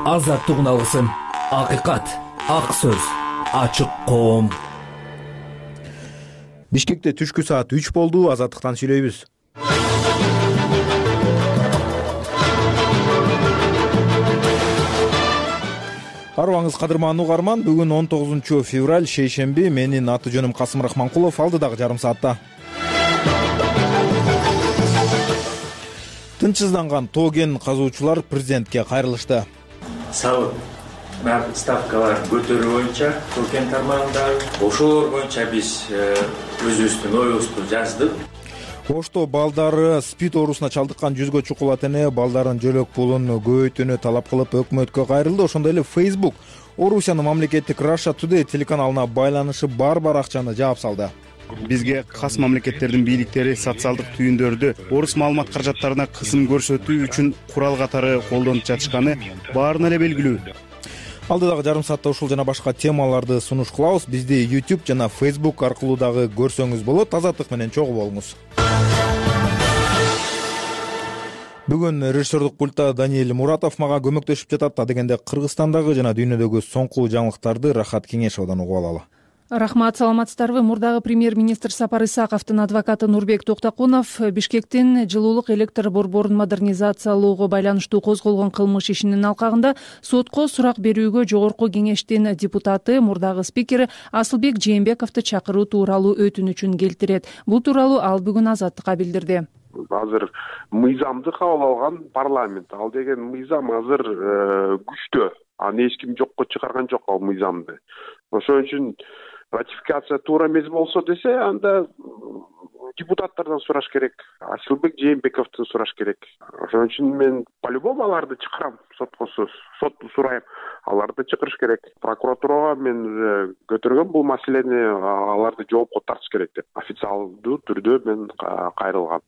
Азаттык алгысым, акыйкат, ак сөз, ачык коом. Бишкекте түшкү саат 3 болду. Азаттыктан сүйлөйбүз. Арыбаңыз кадырман угарман. Бүгүн 19 февраль шейшемби. Менин аты жөнүм Касым Рахманкулов. Алдыдагы жарым саатта тынчсызданган тоо кен казуучулар президентке кайрылышты. Салык ставкалар көтөрүү боюнча тоо кен тармагындагы ошолор боюнча биз өзүбүздүн оюбузду жаздык. Ошто балдары СПИД оорусуна чалдыккан 100гө чукул ата эне балдарын жөлөк пулун көбөйтүүнү талап кылып өкмөткө кайрылды. Ошондой эле Facebook Орусиянын мамлекеттик Russia Today телеканалына байланышы бар акчаны жаап салды. Бизге кас мамлекеттердин бийликтери социалдык түйүндөрдү орус маалымат каражаттарына кысым көрсөтүү үчүн курал катары колдонуп жатышканы баарына эле белгилүү. Алдыдагы жарым саатта ушул жана башка темаларды сунуш кылабыз. Бизди YouTube жана Facebook аркылуу дагы көрсөңүз болот. Азаттык менен чогуу болуңуз. Бүгүн режиссердук пультта Даниэль Муратов мага көмөктөшүп жатат. Адегенде Кыргызстандагы жана дүйнөдөгү соңку жаңылыктарды Рахат Кеңешовдон угуп алалы. Рахмат, саламатсыздарбы? Мурдагы премьер-министр Сапар Исаковдун адвокаты Нурбек Токтокунов Бишкектин жылуулук электр борборун модернизациялоого байланыштуу козголгон кылмыш ишинин алкагында сотко сурак берүүгө жогорку кеңештин депутаты, мурдагы спикери Асылбек Жээнбековду чакыруу тууралуу өтүнүчүн келтирет. Бул тууралуу ал бүгүн Азаттыкка билдирди. Азыр мыйзамды кабыл алган парламент. Ал деген мыйзам азыр күчтө. Аны эч ким жокко чыгарган жок ал мыйзамды. Ошон үчүн ратификация туура эмес болсо десе, анда депутаттардан сураш керек, Асылбек Жээнбековдун сураш керек. Ошон үчүн мен по-любому аларды чакырам, сотту сурайм. Аларды чакырыш керек. Прокуратурага мен көтөргөн бул маселени аларды жоопко тартыш керек деп официалдуу түрдө мен кайрылгам.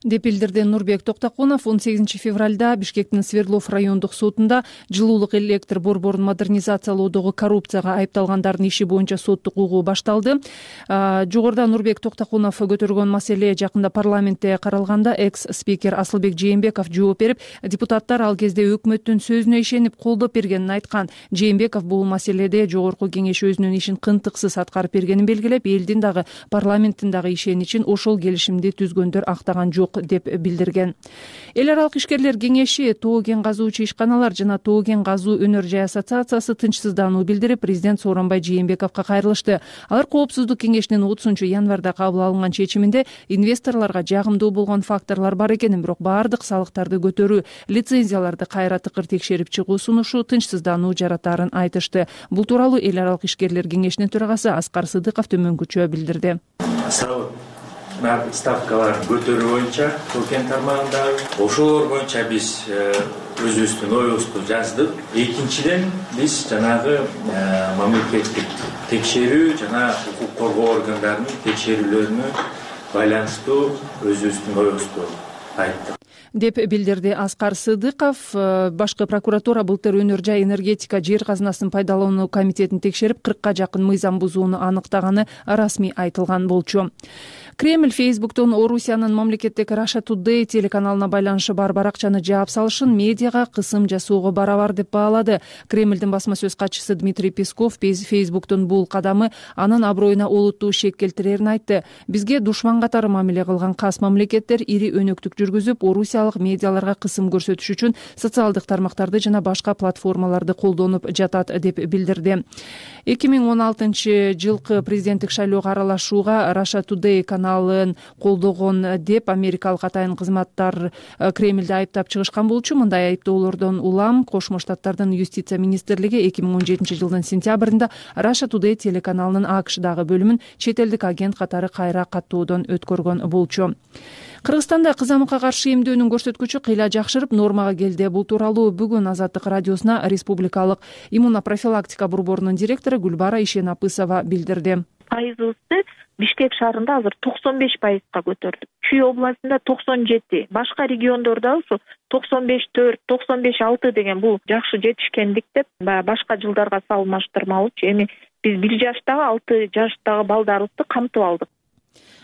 Деп билдирди Нурбек Токтокунов. 18 февралда Бишкектин Свердлов райондук сотунда жылуулук электр борборун модернизациялоодогу коррупцияга айыпталгандардын иши боюнча соттук угуу башталды. Жогоруда Нурбек Токтокунов көтөргөн маселе жакында парламентте каралганда экс-спикер Асылбек Жээнбеков жооп берип, депутаттар ал кезде өкмөттүн сөзүнө ишенип колдоп бергенин айткан. Жээнбеков бул маселеде жогорку кеңеш өзүнүн ишин кынтыксыз аткарып бергенин белгилеп, элдин дагы парламенттин дагы ишеничин ошол келишимди түзгөндөр актаган жок деп билдирген. Эл аралык ишкерлер кеңеши, тоо кен казуучу ишканалар жана тоо кен казуу өнөр жай ассоциациясы тынчсыздануу билдирип, президент Сооронбай Жээнбековго кайрылышты. Алар Коопсуздук кеңешинин 30 январда кабыл алынган чечиминде инвесторлорго жагымдуу болгон факторлор бар экенин, бирок баардык салыктарды көтөрүү, лицензияларды кайра тыкыр текшерип чыгуу сунушу тынчсыздануу жаратаарын айтышты. Бул тууралуу эл аралык ишкерлер кеңешинин төрагасы Аскар Сыдыков төмөнгүчө билдирди. Салык ставкалар көтөрүү боюнча тоо кен тармагындагы ошолор боюнча биз өзүбүздүн оюбузду жаздык. Экинчиден биз жанагы мамлекеттик текшерүү жана укук коргоо органдарынын текшерүүлөрүнө байланыштуу өзүбүздүн оюбузду айттык деп билдирди Аскар Сыдыков. Башкы прокуратура былтыр өнөр жай энергетика жер казынасын пайдалануу комитетин текшерип 40ка жакын мыйзам бузууну аныктаганы расмий айтылган болчу. Кремль Facebook'тон Орусиянын мамлекеттик Russia Today телеканалына байланышы бар акчаны жаап салышын медиага кысым жасоого барабар деп баалады. Кремльдин басма сөз катчысы Дмитрий Песков Facebook'тон бул кадамы анын аброюна олуттуу шек келтирерин айтты. Бизге душман катары мамиле кылган кас мамлекеттер ири өнөктүк жүргүзүп, орусиялык медиаларга кысым көрсөтүш үчүн социалдык тармактарды жана башка платформаларды колдонуп жатат деп билдирди. 2016 жылкы президенттик шайлоого аралашууга Russia Today каналын колдогон деп америкалык атайын кызматтар Кремльди айыптап чыгышкан болчу. Мындай айыптоолордон улам Кошмо Штаттардын юстиция министрлиги 2017 жылдын сентябрында Russia Today телеканалынын АКШдагы бөлүмүн чет элдик агент катары кайра каттоодон өткөргөн болчу. Кыргызстанда кызамыкка каршы эмдөөнүн көрсөткүчү кыйла жакшырып, нормага келди. Бул тууралуу бүгүн Азаттык радиосуна республикалык иммунопрофилактика борборунун директору Гүлбара Ишенапысова билдирди. Пайызыбызды Бишкек шаарында азыр 95%га көтөрдүк. Чүй областында 97, башка региондордо ушу 95,4, 95,6 деген бул жакшы жетишкендик деп башка жылдарга салыштырмалуу. Эми биз 1 жаштагы 6 жаштагы балдарыбызды камтып алдык.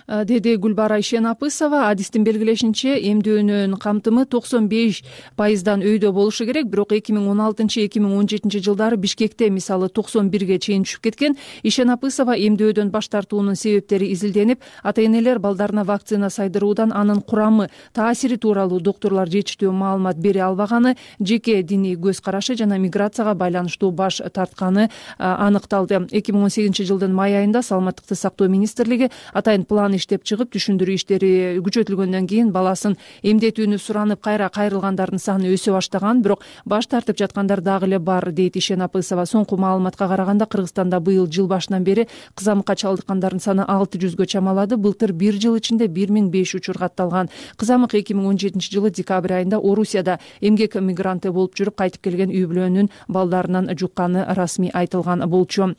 деди Гүлбара Ишенапысова. Адистин белгилешинче, эмдөөнүн камтымы 95%дан өйдө болушу керек, бирок 2016-2017 жылдары Бишкекте мисалы 91-ге чейин түшүп кеткен. Ишенапысова эмдөөдөн баш тартуунун себептери изилденип, ата-энелер балдарына вакцина сайдыруудан анын курамы, таасири тууралуу доктурлар жетиштүү маалымат бере албаганы, жеке диний көз карашы жана миграцияга байланыштуу баш тартканы аныкталды. 2018 жылдын май айында Саламаттыкты сактоо министрлиги атайын план иштеп чыгып, түшүндүрүү иштери күчөтүлгөндөн кийин баласын эмдетүүнү суранып кайра кайрылгандардын саны өсө баштаган, бирок баш тартып жаткандар дагы эле бар, дейт Ишенапысова. Соңку маалыматка караганда Кыргызстанда быйыл жыл башынан бери кызамыкка чалдыккандардын саны 600гө чамалады. Былтыр бир жыл ичинде 1005 учур катталган. Кызамык 2017 жылы декабрь айында Орусияда эмгек мигранты болуп жүрүп кайтып келген үй бүлөнүн балдарынан жукканы расмий айтылган болчу.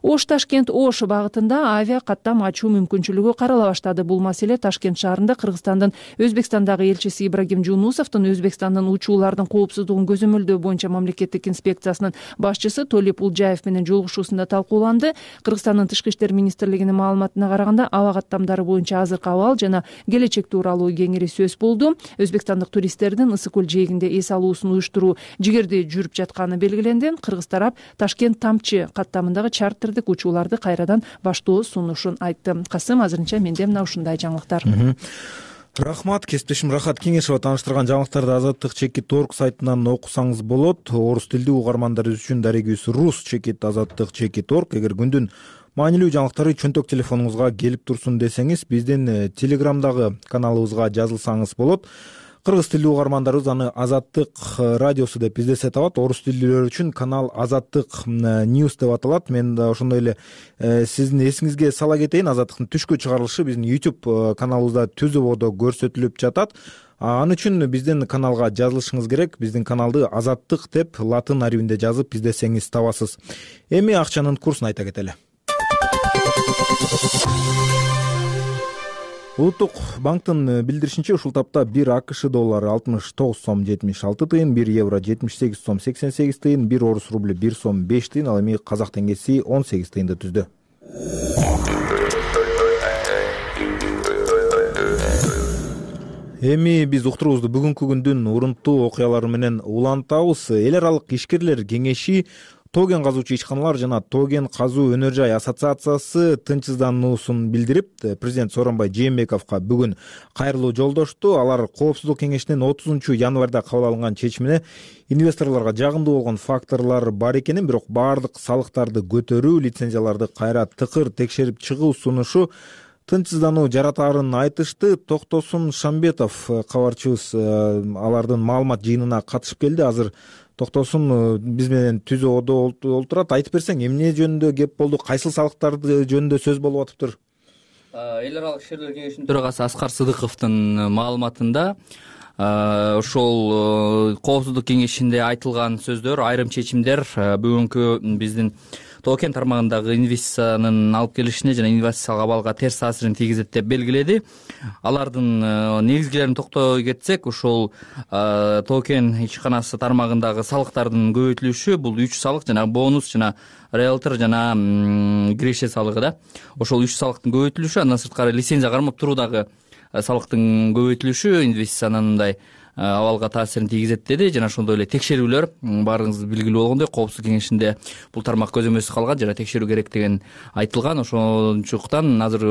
Ош-Ташкент-Ош багытында авиа каттам ачуу мүмкүнчүлүгү карала баштады. Бул маселе Ташкент шаарында Кыргызстандын Өзбекстандагы элчиси Ибрагим Жунусовдун Өзбекстандын учуулардын коопсуздугун көзөмөлдөө боюнча мамлекеттик инспекциясынын башчысы Толип Улжаев менен жолугушуусунда талкууланды. Кыргызстандын тышкы иштер министрлигинин маалыматына караганда, аба каттамдары боюнча азыркы абал жана келечек тууралуу кеңири сөз болду. Өзбекстандык туристтердин Ысык көл жээгинде эс алуусун уюштуруу жигерде жүрүп жатканы белгиленди. Кыргыз тарап Ташкент Тамчы каттамындагы чартердик учууларды кайрадан баштоо сунушун айтты. Касым, азырынча менде мына ушундай жаңылыктар. Рахмат, кесиптешим Рахат Кеңешова тааныштырган жаңылыктарды Азаттык чекит орг сайтынан окусаңыз болот. Орус тилдүү угармандарыбыз үчүн дарегибиз рус чекит Азаттык чекит орг. Эгер күндүн маанилүү жаңылыктары чөнтөк телефонуңузга келип турсун десеңиз, биздин Телеграмдагы каналыбызга жазылсаңыз болот. Кыргыз тилдүү угармандарыбыз аны Азаттык радиосу деп издесе табат. Орус тилдүүлөр үчүн канал Азаттык News деп аталат. Мен да ошондой эле сиздин эсиңизге сала кетейин, Азаттыктын түшкү чыгарылышы биздин YouTube каналыбызда түз ободо көрсөтүлүп жатат. Аны үчүн биздин каналга жазылышыңыз керек. Биздин каналды Азаттык деп латын арибинде жазып издесеңиз табасыз. Эми акчанын курсун айта кетели. Улуттук банктын билдиришинче, ушул тапта 1 АКШ доллары 69 сом 76 тыйын, 1 евро 78 сом 88 тыйын, 1 орус рубль 1 сом 5 тыйын, ал эми казак теңгеси 18 тыйынды түздү. Эми биз уктуруубузду бүгүнкү күндүн урунттуу окуялары менен улантабыз. Эл аралык ишкерлер кеңеши тоген казуучу ишканалар жана тоген казуу өнөр жай ассоциациясы тынчсыздануусун билдирип, президент Сооронбай Жээнбековго бүгүн кайрылуу жолдошту. Алар Коопсуздук кеңешинин 30 январда кабыл алынган чечимине инвесторлорго жагымдуу болгон факторлор бар экенин, бирок баардык салыктарды көтөрүү, лицензияларды кайра тыкыр текшерип чыгуу сунушу тынчсыздануу жаратаарын айтышты. Токтосун Шамбетов кабарчыбыз алардын маалымат жыйынына катышып келди. Азыр Токтосун биз менен түз ободо олтурат. Айтып берсең, эмне жөнүндө кеп болду, кайсыл салыктарды жөнүндө сөз болуп атыптыр? Эл аралык ишкерлер кеңешинин төрагасы Аскар Сыдыковдун маалыматында ошол Коопсуздук кеңешинде айтылган сөздөр, айрым чечимдер бүгүнкү биздин токен тармагындагы инвестициянын алып келишине жана инвестициялык абалга терс таасирин тийгизет деп белгиледи. Алардын негизгилерин токтой кетсек, ушул токен ишканасы тармагындагы салыктардын көбөйтүлүшү, бул 3 салык, жана бонус жана риэлтор жана киреше салыгы да. Ошол 3 салыктын көбөйтүлүшү, андан сырткары лицензия кармап туруудагы салыктын көбөйтүлүшү инвестициянын мындай абалга таасирин тийгизет деди. Жана ошондой эле текшерүүлөр, баарыңыз билгилүү болгондой, Коопсуздук кеңешинде бул тармак көзөмөлсүз калган жана текшерүү керек деген айтылган. Ошончуктан азыр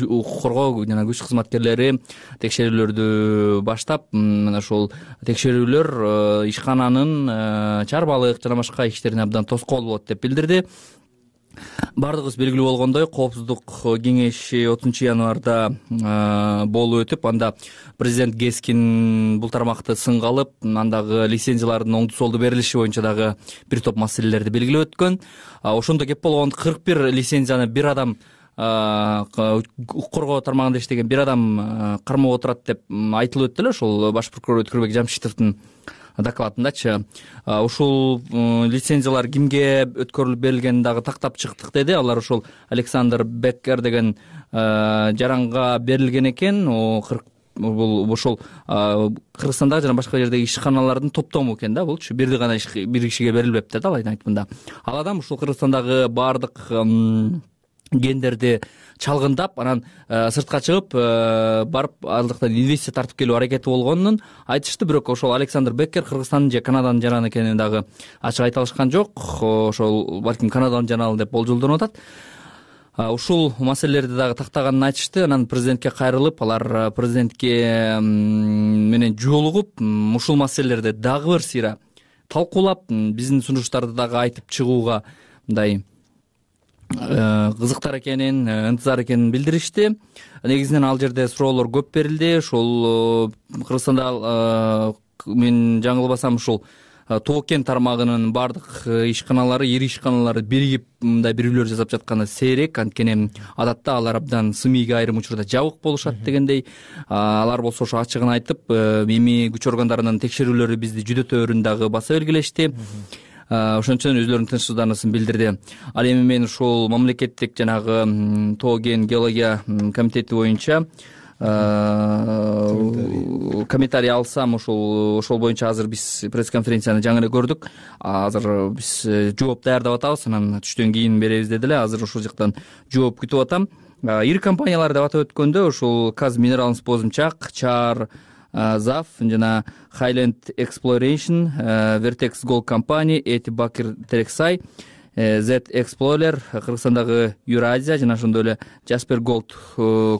укук коргоо жана күч кызматкерлери текшерүүлөрдү баштап, мына ошол текшерүүлөр ишкананын чарбалык жана башка иштерине абдан тоскоол болот деп билдирди. Бардыгыбыз белгилүү болгондой, Коопсуздук кеңеши 30 январда болуп өтүп, анда президент Гескин бул тармакты сынга алып, андагы лицензиялардын оңду солду берилиши боюнча дагы бир топ маселелерди белгилеп өткөн. Ошондо кеп болгон 41 лицензияны бир адам укук коргоо тармагында иштеген бир адам кармап отурат деп айтылып өттү эле, ошол баш прокурор Өткөрбек Жамшитовдун докладындачы. Ушул лицензиялар кимге өткөрүлүп берилгенин дагы тактап чыктык деди. Алар ушул Александр Беккер деген жаранга берилген экен. Бул ошол Кыргызстандагы жана башка жердеги ишканалардын топтому экен да, булчу бир кишиге берилбепти да, алайын айтымында. Ал адам ушул Кыргызстандагы баардык гендерди чалгындап анан сыртка чыгып барып ал жактан инвестиция тартып келүү аракети болгонун айтышты. Бирок ошол Александр Беккер Кыргызстандын же Канаданын жараны экенин дагы ачык айта алышкан жок. Ошол балким Канаданын жаналы деп болжолдонуп атат. Ушул маселелерди дагы тактаганын айтышты. Анан президентке кайрылып, алар президентке менен жолугуп ушул маселелерди дагы бир сыйра талкуулап, биздин сунуштарды дагы айтып чыгууга мындай кызыктар экенин, ынтызар экенин билдиришти. Негизинен ал жерде суроолор көп берилди. Ошол Кыргызстанда мен жаңылбасам ушул Тоо-Кен тармагынын баардык ишканалары, ири ишканалары биригип мындай бирүүлөр жасап жатканы сейрек. Анткени адатта алар абдан сымийге айрым учурда жабык болушат дегендей. Алар болсо ошо ачыгын айтып, эми күч органдарынын текшерүүлөрү бизди жүдөтөөрүн дагы баса белгилешти. Ошон үчүн өзүлөрүнүн тынчсыздаанысын билдирди. Ал эми мен ушул мамлекеттик жанагы Тоо-Кен геология комитети боюнча комментарий алсам, ошол боюнча азыр биз пресс-конференцияны жаңы эле көрдүк. Азыр биз жооп даярдап атабыз, анан түштөн кийин беребиз деди эле. Азыр ошол жактан жооп күтүп атам. Ири компаниялар деп атап өткөндө ошол Казминералс Бозумчак, Чар ЗАФ жана Highland Exploration, Vertex Gold Company, Эти Бакир Терексай, Z Explorer, Кыргызстандагы Юразия жана ошондой эле Jasper Gold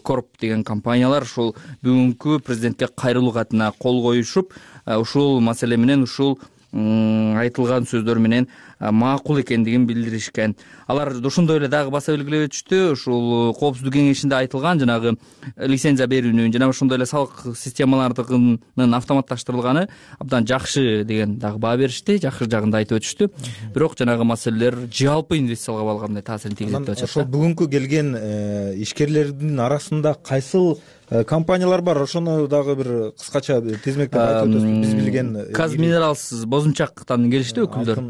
Corp деген компаниялар ушул бүгүнкү президентке кайрылуу катына кол коюшуп, ушул маселе менен ушул айтылган сөздөр менен макул экендигин билдиришкен. Алар ошондой эле дагы баса белгилеп өтүштү. Ушул коопсуздук кеңешинде айтылган жанагы лицензия берүүнүн жана ошондой эле салык системаларынын автоматташтырылганы абдан жакшы деген дагы баа беришти. Жакшы жагын да айтып өтүштү. Бирок жанагы маселелер жалпы инвестицияларга балгандай таасирин тийгизет деп атышат. Ошол бүгүнкү келген ишкерлердин арасында кайсыл компаниялар бар? Ошону дагы бир кыскача тизмектеп айтып өтөсүз. Биз билген Казминералс Бозумчактан келишти өкүлдөр.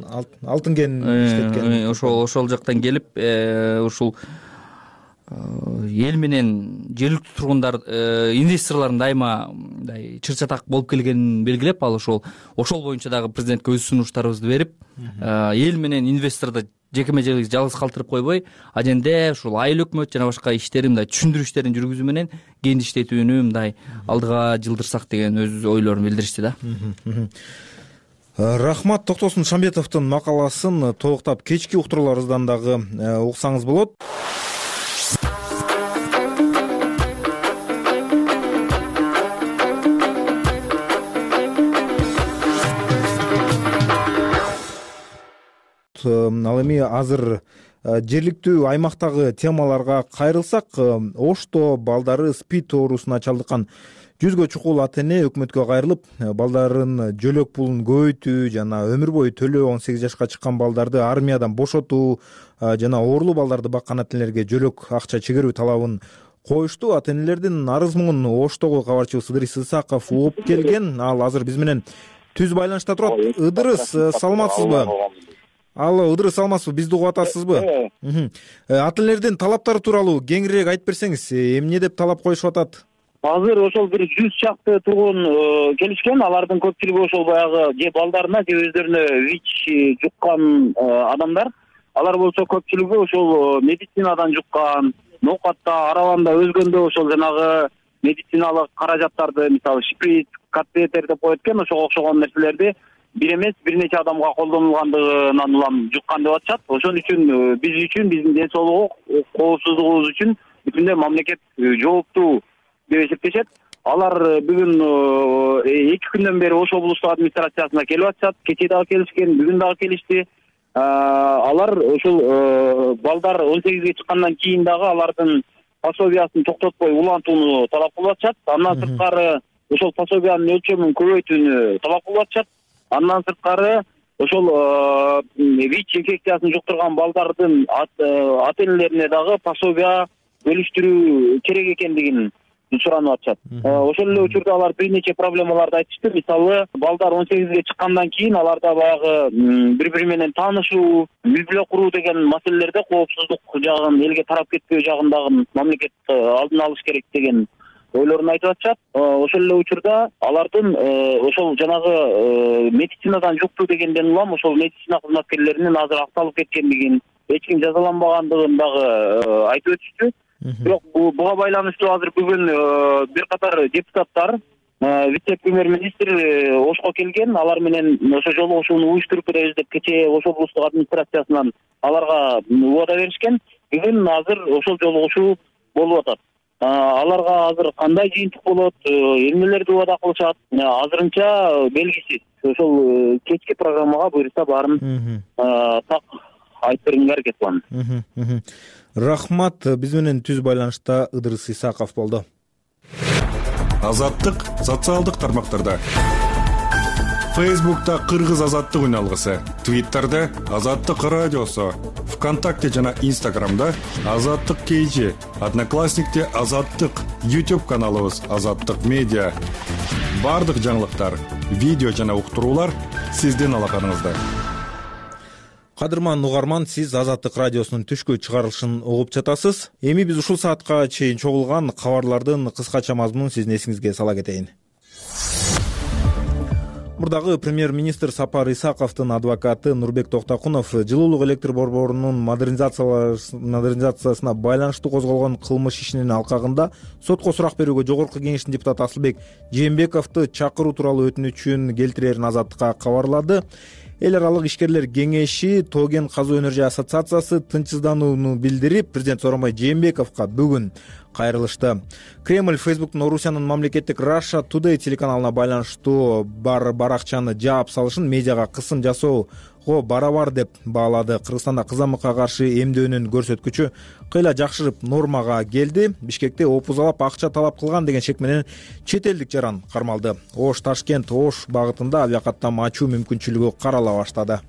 Алтын кен иштеткен. Ошол жактан келип, ушул эл менен жергиликтүү тургундар, инвесторлордун дайыма мындай чыр-чатак болуп келгенин белгилеп, ал ошол боюнча дагы президентке өз сунуштарыбызды берип, эл менен инвесторду жекеме-жекелик жалгыз калтырып койбой, аженде ушул айыл өкмөт жана башка иштерин мындай түшүндүрүү иштерин жүргүзүү менен кенди иштетүүнү мындай алдыга жылдырсак деген өз ойлорун билдиришти да. Рахмат. Токтосун Шамбетовдун макаласын толуктап кечки уктурууларыбыздан дагы уксаңыз болот. Ал эми азыр жергиликтүү аймактагы темаларга кайрылсак, Ошто балдары СПИД оорусуна чалдыккан 100гө чукул ата-эне өкмөткө кайрылып, балдарын жөлөк пулун көбөйтүү жана өмүр бою төлөө 18 жашка чыккан балдарды армиядан бошотуу жана оорулуу балдарды баккан ата-энелерге жөлөк акча чыгаруу талабын коюшту. Ата-энелердин арыз муңун Оштогу кабарчыбыз Ыдырыс Исаков угуп келген. Ал азыр биз менен түз байланышта турат. Ыдырыс, саламатсызбы? Алло, Ыдырыс, саламатсызбы? Бизди угуп атасызбы? Ата-энелердин талаптары тууралуу кеңирээк айтып берсеңиз, эмне деп талап коюшуп атат? Азыр ошол бир 100 чакты тургун келишкен. Алардын көпчүлүгү ошол баягы же балдарына же өздөрүнө ВИЧ жуккан адамдар. Алар болсо көпчүлүгү ошол медицинадан жуккан, ноокатта, арабанда өзгөндө ошол жанагы медициналык каражаттарды, мисалы шприц, катетер деп коет экен, ошого окшогон нерселерди бир эмес бир нече адамга колдонулгандыгынан улам жуккан деп атышат. Ошон үчүн биз үчүн, биздин ден соолугу, коопсуздугубуз үчүн бүтүндөй мамлекет жооптуу деп эсептешет. Алар бүгүн 2 күндөн бери Ош облустук администрациясына келип атышат. Кечээ дагы келишкен, бүгүн дагы келишти. Алар ошол балдар 18ге чыккандан кийин дагы алардын пособиясын токтотпой улантууну талап кылып атышат. Андан сырткары ошол пособиянын өлчөмүн көбөйтүүнү талап кылып атышат. Андан сырткары ошол ВИЧ инфекциясын жуктурган балдардын ата-энелерине дагы пособия бөлүштүрүү керек экендигин суранып атышат. Ошол эле учурда алар бир нече проблемаларды айтышты. Мисалы, балдар 18ге чыккандан кийин аларда баягы бири-бири менен таанышуу, үй бүлө куруу деген маселелерде коопсуздук жагын, элге тарап кетпөө жагындагы мамлекет алдын алыш керек деген ойлорун айтып атышат. Ошол эле учурда алардын ошол жанагы медицинадан жуктуу дегенден улам ошол медицина кызматкерлеринин азыр акталып кеткендигин эч ким жазаланбагандыгын дагы айтып өтүштү. Бирок буга байланыштуу азыр бүгүн бир катар депутаттар вице-премьер-министр Ошко келген. Алар менен ошо жолугушууну уюштуруп беребиз деп кечээ Ош облустук администрациясынан аларга убада беришкен. Бүгүн азыр ошол жолугушуу болуп атат. Аларга азыр кандай жыйынтык болот, эмнелерди убада кылышат, азырынча белгисиз. Ошол кечки программага буюрса баарын так айтып бергенге аракет кылам. Рахмат. Биз менен түз байланышта Ыдырыс Исаков болду. Азаттык социалдык тармактарда. Фейсбукта Кыргыз азаттык үналгысы, Твиттерде Азаттык радиосу, ВКонтакте жана Инстаграмда Азаттык KG, Одноклассникте Азаттык, YouTube каналыбыз Азаттык медиа. Бардык жаңылыктар, видео жана уктуруулар сиздин алаканыңызда. Кадырман угарман, сиз Азаттык радиосунун түшкү чыгарылышын угуп жатасыз. Эми биз ушул саатка чейин чогулган кабарлардын кыскача мазмунун сиздин эсиңизге сала кетейин. Мурдагы премьер-министр Сапар Исаковдун адвокаты Нурбек Токтокунов жылуулук электр борборунун модернизациясына байланыштуу козголгон кылмыш ишинин алкагында сотко сурак берүүгө жогорку кеңештин депутаты Асылбек Жээнбековду чакыруу тууралуу өтүнүчүн келтирерин Азаттыкка кабарлады. Эл аралык ишкерлер кеңеши Тоген казуу энержия ассоциациясы тынчсызданууну билдирип, президент Сооронбай Жээнбековго бүгүн кайрылышты. Кремль Фейсбуктун Орусиянын мамлекеттик Russia Today телеканалына байланыштуу баракчаны жаап салышын медиага кысым жасоого барабар деп баалады. Кыргызстанда кызамыкка каршы эмдөөнүн көрсөткүчү кыйла жакшырып нормага келди. Бишкекте опузалап акча талап кылган деген шек менен чет элдик жаран кармалды. Ош Ташкент Ош багытында авиакаттам ачуу мүмкүнчүлүгү карала баштады.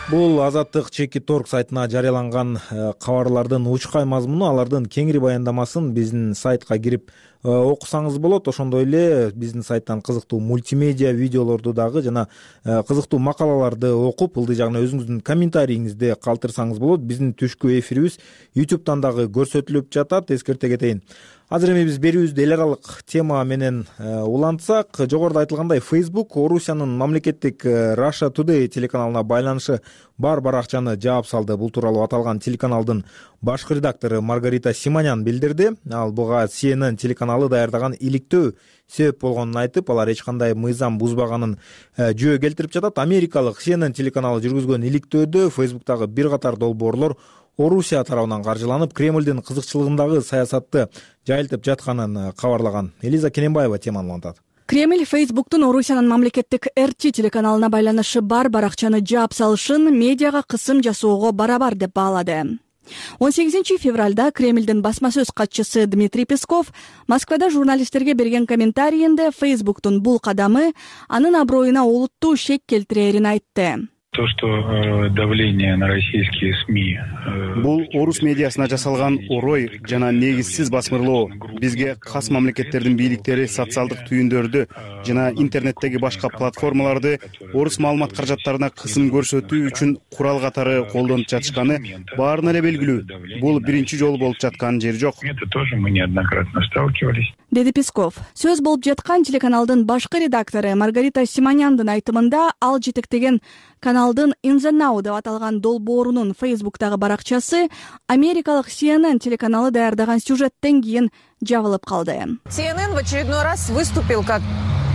Бул Азаттык чеки торг сайтына жарыяланган кабарлардын учкай мазмуну, алардын кеңири баяндамасын биздин сайтка кирип окусаңыз болот. Ошондой эле биздин сайттан кызыктуу мультимедиа видеолорду дагы жана кызыктуу макалаларды окуп, ылдый жагына өзүңүздүн комментарийиңизди калтырсаңыз болот. Биздин түшкү эфирибиз YouTube'дан дагы көрсөтүлүп жатат, эскерте кетейин. Азыр эми биз берүүбүздү эл аралык тема менен улантсак, жогоруда айтылгандай Facebook Орусиянын мамлекеттик Russia Today телеканалына байланышы бар баракчаны жаап салды. Бул тууралуу аталган телеканалдын башкы редактору Маргарита Симонян билдирди. Ал буга CNN телеканалы даярдаган иликтөө себеп болгонун айтып, алар эч кандай мыйзам бузбаганын жөө келтирип жатат. Америкалык CNN телеканалы жүргүзгөн иликтөөдө Facebook'тагы бир катар долбоорлор Орусия тарабынан каржыланып, Кремлдин кызыкчылыгындагы саясатты жайылтып жатканын кабарлаган. Элиза Кененбаева теманы улантат. Кремль Фейсбуктун Орусиянын мамлекеттик RT телеканалына байланышы бар баракчаны жаап салышын медиага кысым жасоого барабар деп баалады. 18 февралда Кремлдин басма сөз катчысы Дмитрий Песков Москвада журналисттерге берген комментарийинде Фейсбуктун бул кадамы анын аброюна олуттуу шек келтирерин айтты. То, что давление на российские СМИ. Бул орус медиасына жасалган орой жана негизсиз басмырлоо бизге кас мамлекеттердин бийликтери социалдык түйүндөрдү жана интернеттеги башка платформаларды орус маалымат каражаттарына кысым көрсөтүү үчүн курал катары колдонуп жатышканы баарына эле белгилүү. Бул биринчи жолу болуп жаткан жери жок. Это тоже мы неоднократно сталкивались. Деди Песков. Сөз болуп жаткан телеканалдын башкы редактору Маргарита Симоняндын айтымында ал жетектеген каналдын In the Now деп аталган долбоорунун Facebook'тагы баракчасы америкалык CNN телеканалы даярдаган сюжеттен кийин жабылып калды. CNN в очередной раз выступил как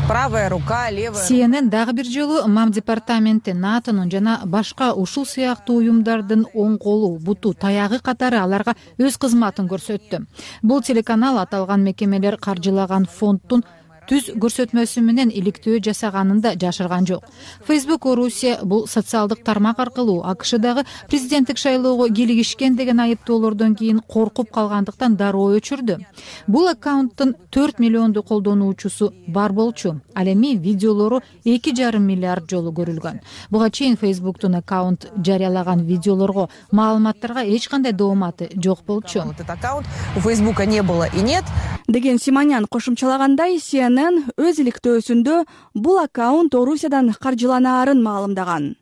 правая рука, левая. CNN дагы бир жолу МАМ департаменти, НАТОнун жана башка ушул сыяктуу уюмдардын оң колу, буту, таягы катары аларга өз кызматын көрсөттү. Бул телеканал аталган мекемелер каржылаган фонддун түз көрсөтмөсү менен иликтөө жасаганын да жашырган жок. Facebook Орусия бул социалдык тармак аркылуу АКШдагы президенттик шайлоого кийлигишкен деген айыптоолордон кийин коркуп калгандыктан дароо өчүрдү. Бул аккаунттун 4 миллионду колдонуучусу бар болчу. Ал эми видеолору 2,5 миллиард жолу көрүлгөн. Буга чейин Facebook'тун аккаунт жарыялаган видеолорго, маалыматтарга эч кандай дооматы жок болчу. Этот аккаунт у Facebook'a не было и нет. Деген Симонян кошумчалагандай, CNN өз иликтөөсүндө бул аккаунт Орусиядан каржыланаарын маалымдаган.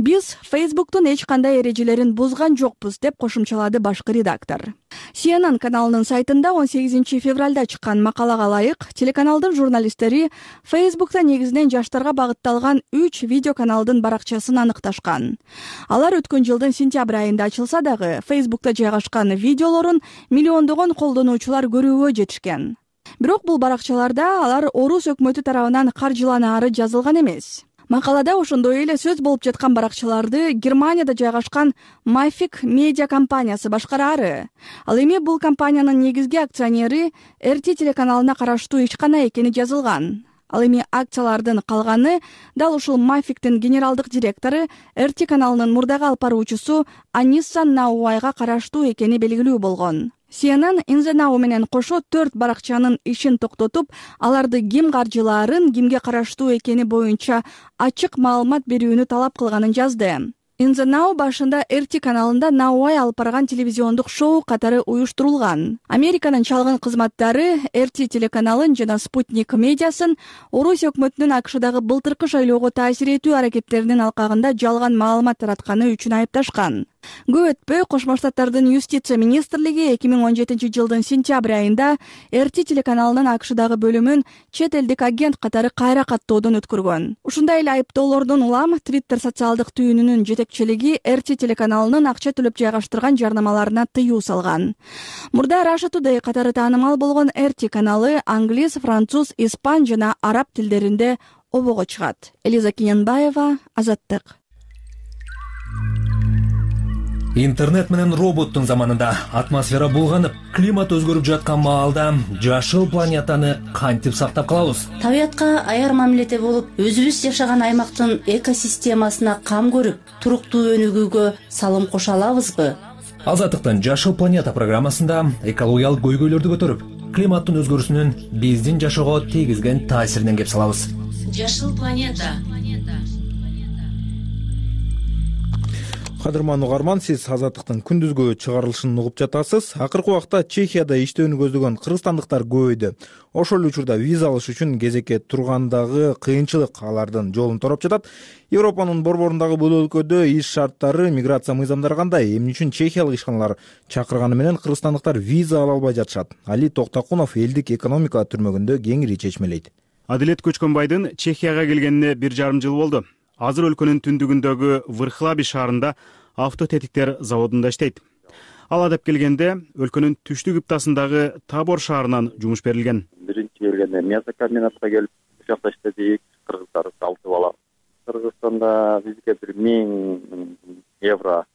Биз Facebook'тун эч кандай эрежелерин бузган жокпуз, деп кошумчалады башкы редактор. CNN каналынын сайтында 18 февралда чыккан макалага ылайык, телеканалдын журналисттери Facebook'та негизинен жаштарга багытталган 3 видеоканалдын баракчасын аныкташкан. Алар өткөн жылдын сентябрь айында ачылса дагы, Facebook'та жайгашкан видеолорун миллиондогон колдонуучулар көрүүгө жетишкен. Бирок бул баракчаларда алар орус өкмөтү тарабынан каржыланаары жазылган эмес. Макалада ошондой эле сөз болуп жаткан баракчаларды Германияда жайгашкан Mavic медиа компаниясы башкараары. Ал эми бул компаниянын негизги акционери RT телеканалына караштуу ишкана экени жазылган. Ал эми акциялардын калганы дал ушул Mavic'тин генералдык директору RT каналынын мурдагы алып баруучусу Анисса Науайга караштуу экени белгилүү болгон. CNN In The Now менен кошо 4 баракчанын ишин токтотуп, аларды ким каржылаарын, кимге караштуу экени боюнча ачык маалымат берүүнү талап кылганын жазды. In The Now башында RT каналында Науай алып барган телевизиондук шоу катары уюштурулган. Американын чалгын кызматтары RT телеканалын жана Спутник медиасын Орус өкмөтүнүн АКШдагы былтыркы шайлоого таасир этүү аракеттеринин алкагында жалган маалымат таратканы үчүн айыпташкан. Көп өтпөй Кошмо Штаттардын юстиция министрлиги 2017 жылдын сентябрь айында RT телеканалынын АКШдагы бөлүмүн чет элдик агент катары кайра каттоодон өткөргөн. Ушундай эле айыптоолордон улам Twitter социалдык түйүнүнүн жетекчилиги RT телеканалынын акча төлөп жайгаштырган жарнамаларына тыюу салган. Мурда Russia Today катары таанымал болгон RT каналы англис, француз, испан жана араб тилдеринде обого чыгат. Элиза Кененбаева, Азаттык. Интернет менен роботтун заманында атмосфера булганып, климат өзгөрүп жаткан маалда жашыл планетаны кантип сактап калабыз? Табиятка аяр мамиледе болуп, өзүбүз жашаган аймактын экосистемасына кам көрүп, туруктуу өнүгүүгө салым кошо алабызбы? Азаттыктын Жашыл планета программасында экологиялык көйгөйлөрдү көтөрүп, климаттын өзгөрүүсүнүн биздин жашоого тийгизген таасиринен кеп салабыз. Жашыл планета. Кадырман угарман, сиз Азаттыктын күндүзгү чыгарылышын угуп жатасыз. Акыркы убакта Чехияда иштөөнү көздөгөн кыргызстандыктар көбөйдү. Ошол учурда виза алыш үчүн кезекке тургандагы кыйынчылык алардын жолун тороп жатат. Европанын борборундагы бул өлкөдө иш шарттары, миграция мыйзамдары кандай? Эмне үчүн чехиялык ишканалар чакырганы менен кыргызстандыктар виза ала албай жатышат? Али Токтакунов элдик экономика түрмөгүндө кеңири чечмелейт. Адилет Көчкөнбайдын Чехияга келгенине 1,5 жыл болду. Азыр өлкөнүн түндүгүндөгү Врхлаби шаарында автотетиктер заводунда иштейт. Ал адап келгенде өлкөнүн түштүк ыптасындагы Табор шаарынан жумуш берилген. Биринчи келгенде мясокомбинатка келип, ошол жакта иштедик, кыргыздар 6 бала. Кыргызстанда бизге 1000 евро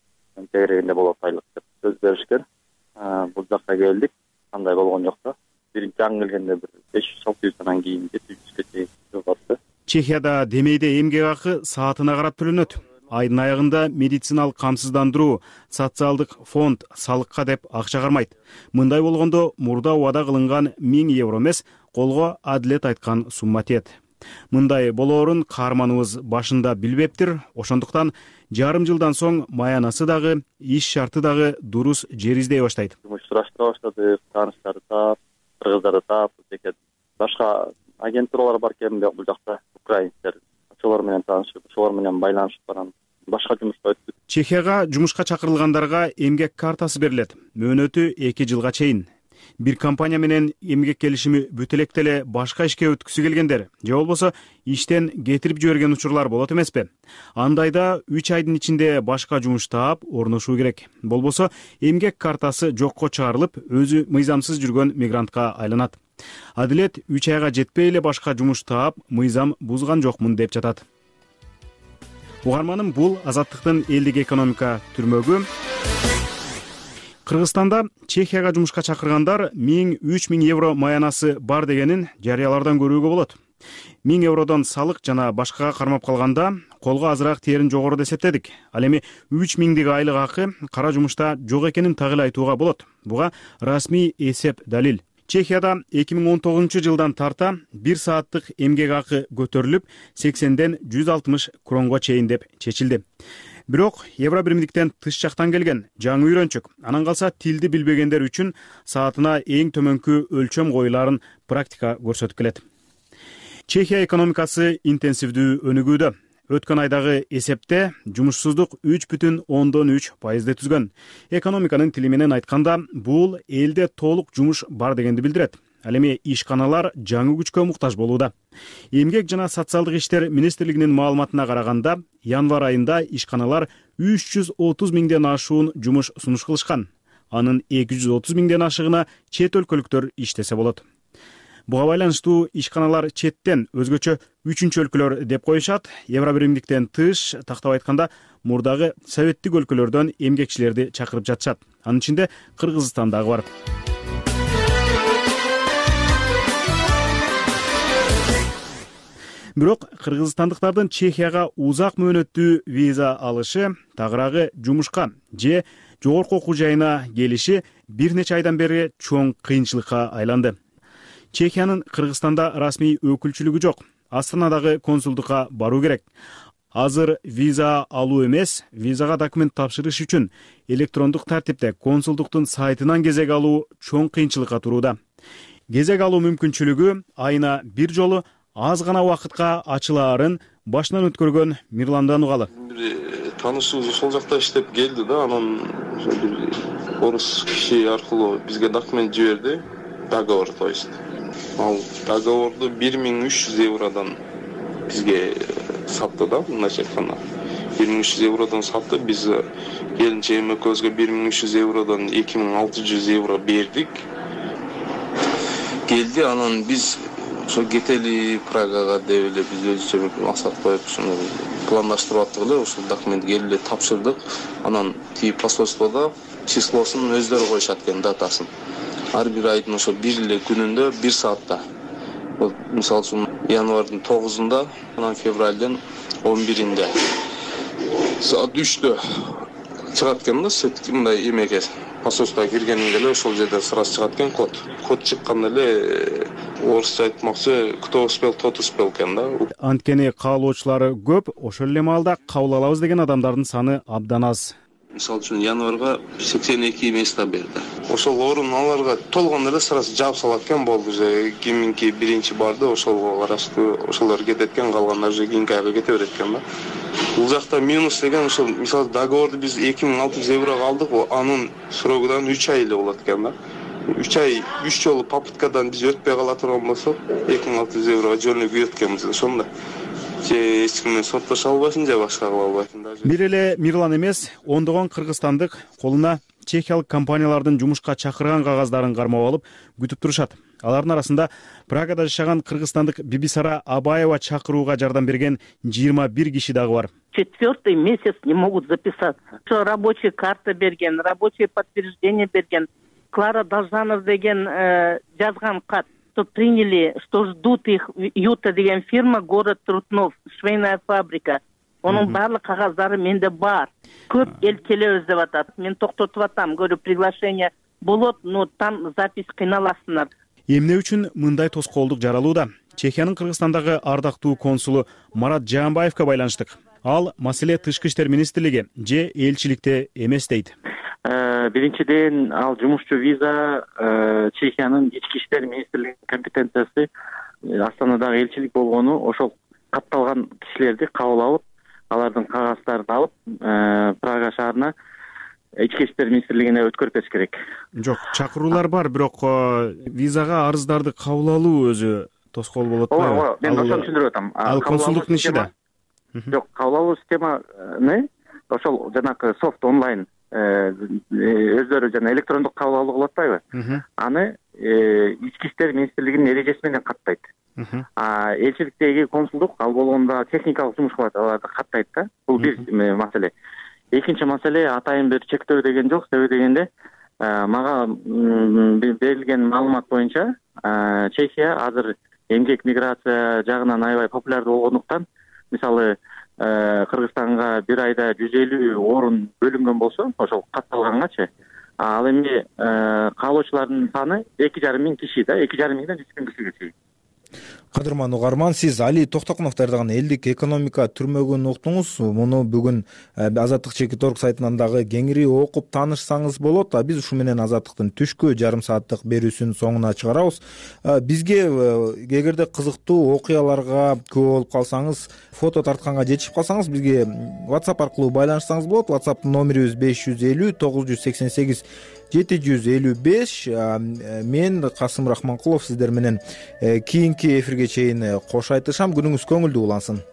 тегерегинде болот айлык деп сөз беришкен. Бул жакка келдик, кандай болгон жок да. Биринчи аң келгенде 500-600 кийин 700-ге чейин жатты. Чехияда демейде эмгек акы саатына карап төлөнөт. Айдын аягында медициналык камсыздандыруу, социалдык фонд салыкка деп акча кармайт. Мындай болгондо мурда убада кылынган 1000 евро эмес, колго Адилет айткан сумма тиет. Мындай болоорун каарманыбыз башында билбептир, ошондуктан жарым жылдан соң маянасы дагы, иш шарты дагы дурус жер издей баштайт. Жумуш сураштыра баштады, тааныштарды таап, кыргыздарды таап, башка агентуралар бар экен бул жакта, украинцтер. Ошолор менен таанышып, ошолор менен байланышып барам. Башка жумушка өттүк. Чехияга жумушка чакырылгандарга эмгек картасы берилет. Мөөнөтү 2 жылга чейин. Бир компания менен эмгек келишими бүтө электе эле башка ишке өткүсү келгендер же болбосо иштен кетирип жиберген учурлар болот эмеспи? Андайда 3 айдын ичинде башка жумуш таап орношуу керек. Болбосо эмгек картасы жокко чыгарылып, өзү мыйзамсыз жүргөн мигрантка айланат. Адилет 3 айга жетпей эле башка жумуш таап, мыйзам бузган жокмун деп жатат. Угарманым, бул Азаттыктын элдик экономика түрмөгү. Кыргызстанда Чехияга жумушка чакыргандар 1000-3000 евро маянасы бар дегенин жарыялардан көрүүгө болот. 1000 евродон салык жана башкага кармап калганда колго азыраак тээрин жогору эсептедик. Ал эми 3000дик айлык акы кара жумушта жок экенин так эле айтууга болот. Буга расмий эсеп далил. Чехияда 2019 жылдан тарта 1 сааттык эмгек акы көтөрүлүп 80ден 160 кронго чейин деп чечилди. Бирок евро биримдиктен тыш жактан келген жаңы үйрөнчүк. Анан калса тилди билбегендер үчүн саатына эң төмөнкү өлчөм коюларын практика көрсөтүп келет. Чехия экономикасы интенсивдүү өнүгүүдө. өткөн айдагы эсепте жумушсуздук 3,3% түзгөн. Экономиканын тили менен айтканда, бул элде толук жумуш бар дегенди билдирет. Ал эми ишканалар жаңы күчкө муктаж болууда. Эмгек жана социалдык иштер министрлигинин маалыматына караганда, январь айында ишканалар 330 миңден ашуун жумуш сунуш кылышкан. Анын 230 миңден ашыгына чет өлкөлүктөр иштесе болот. Буга байланыштуу ишканалар четтен, өзгөчө үчүнчү өлкөлөр деп коюшат. Евро биримдиктен тыш, тактап айтканда, мурдагы советтик өлкөлөрдөн эмгекчилерди чакырып жатышат. Анын ичинде Кыргызстан дагы бар. Бирок кыргызстандыктардын Чехияга узак мөөнөттүү виза алышы, тагыраагы жумушка же жогорку окуу жайына келиши бир нече айдан бери чоң кыйынчылыкка айланды. Чехиянын Кыргызстанда расмий өкүлчүлүгү жок. Астанадагы консулдукка баруу керек. Азыр виза алуу эмес, визага документ тапшырыш үчүн электрондук тартипте консулдуктун сайтынан кезек алуу чоң кыйынчылыкка турууда. Кезек алуу мүмкүнчүлүгү айына бир жолу аз гана убакытка ачылаарын башынан өткөргөн Мирландан угалы. Бир таанышыбыз ошол жакта иштеп келди да, анан бир орус киши аркылуу бизге документ жиберди, договор, то есть. Ал договорду 1300 евродон бизге сатты да, мындайча айтканда. 1300 евродон сатты, биз келинчегим экөөбүзгө 1300 евродон 2600 евро бердик. Келди, анан биз ошо кетели Прагага деп эле биз өзүбүзчө максат коюп ушуну пландаштырып аттык эле, ошол документ келип эле тапшырдык. Анан тиги посольстводо числосун өздөрү коюшат экен, датасын. Ар бир айдын ошо бир эле күнүндө 1 саатта. Бул мисалы үчүн январдын 9-унда, анан февралдын 11-инде саат 3-тө чыгат экен да, сетки мындай эмеге посольствого киргениңде эле ошол жерде сразу чыгат экен код. Код чыкканда эле орусча айтмакчы, кто успел, тот успел экен да. Анткени каалоочулары көп, ошол эле маалда кабыл алабыз деген адамдардын саны абдан аз. Мисалы үчүн январга 82 место берди. Ошол орун аларга толгондо эле сразу жаап салат экен, болду же киминки биринчи барды, ошолго караштуу ошолор кетет экен, калгандар же кийинки айга кете берет экен да. Бул жакта минус деген ошол, мисалы договорду биз 2600 еврого алдык, анын срогудан 3 ай эле болот экен да. 3 ай 3 жолу попыткадан биз өтпөй кала турган болсок, 2600 еврого жөнү күйөт экенбиз. Ошондо же эч ким менен соттошо албайсың, же башка кыла албайсың. Бир эле Мирлан эмес, ондогон кыргызстандык колуна чехиялык компаниялардын жумушка чакырган кагаздарын кармап алып күтүп турушат. Алардын арасында Прагада жашаган кыргызстандык Бибисара Абаева чакырууга жардам берген 21 киши дагы бар. 4-й месяц не могут записаться. Что рабочая карта берген, рабочее подтверждение берген. Клара Должанов деген жазган кат, что приняли, что ждут их Юта деген фирма, город Трутнов, швейная фабрика. Onun барлык кагаздары менде бар. Көп эл келебиз деп атат. Мен токтотуп атам, говорю, приглашение болот, но там запись кыйналасыңар. Эмне үчүн мындай тоскоолдук жаралууда? Чехиянын Кыргызстандагы ардактуу консулу Марат Жаанбаевка байланыштык. Ал маселе тышкы иштер министрлиги же элчиликте эмес дейт. Биринчиден, ал жумушчу виза Чехиянын ички иштер министрлигинин компетенциясы. Астанадагы элчилик болгону ошол катталган кишилерди кабыл алып, алардын кагаздарын алып, Прага шаарына ички иштер министрлигине өткөрүп бериш керек. Жок, чакыруулар бар, бирок визага арыздарды кабыл алуу өзү тоскоол болот. Ооба, мен ошону түшүндүрүп атам. Ал консулдуктун иши да. Жок, кабыл алуу системаны ошол жанагы софт онлайн өздөрү жана электрондук кабыл алуу кылып атпайбы? Аны ички иштер министрлигинин эрежеси менен каттайт. Элчиликтеги консулдук ал болгондо техникалык жумуш кылат, аларды каттайт да. Бул бир маселе. Экинчи маселе, атайын бир чектөө деген жок. Себеби дегенде, мага берилген маалымат боюнча, Чехия азыр эмгек миграция жагынан аябай популярдуу болгондуктан, мисалы, Кыргызстанга бир айда 150 орун бөлүнгөн болсо, ошол катталгангачы, ал эми каалоочулардын саны 2,5 миң киши да, 2,5 миңден 3 миң кишиге чейин. Кадырман угарман, сиз Али Токтокунов даярдаган элдик экономика түрмөгүн уктуңуз. Муну бүгүн Азаттык Чекит.орг сайтынан дагы кеңири окуп таанышсаңыз болот. Биз ушу менен Азаттыктын түшкү жарым сааттык берүүсүнүн соңуна чыгарабыз. Бизге эгерде кызыктуу окуяларга күбө болуп калсаңыз, фото тартканга жетишип калсаңыз, бизге WhatsApp аркылуу байланышсаңыз болот. WhatsApp номерибиз 550 988 755. Мен Касым Рахманкулов сиздер менен кийинки эфирге чейин кош айтышам. Күнүңүз көңүлдүү улансын.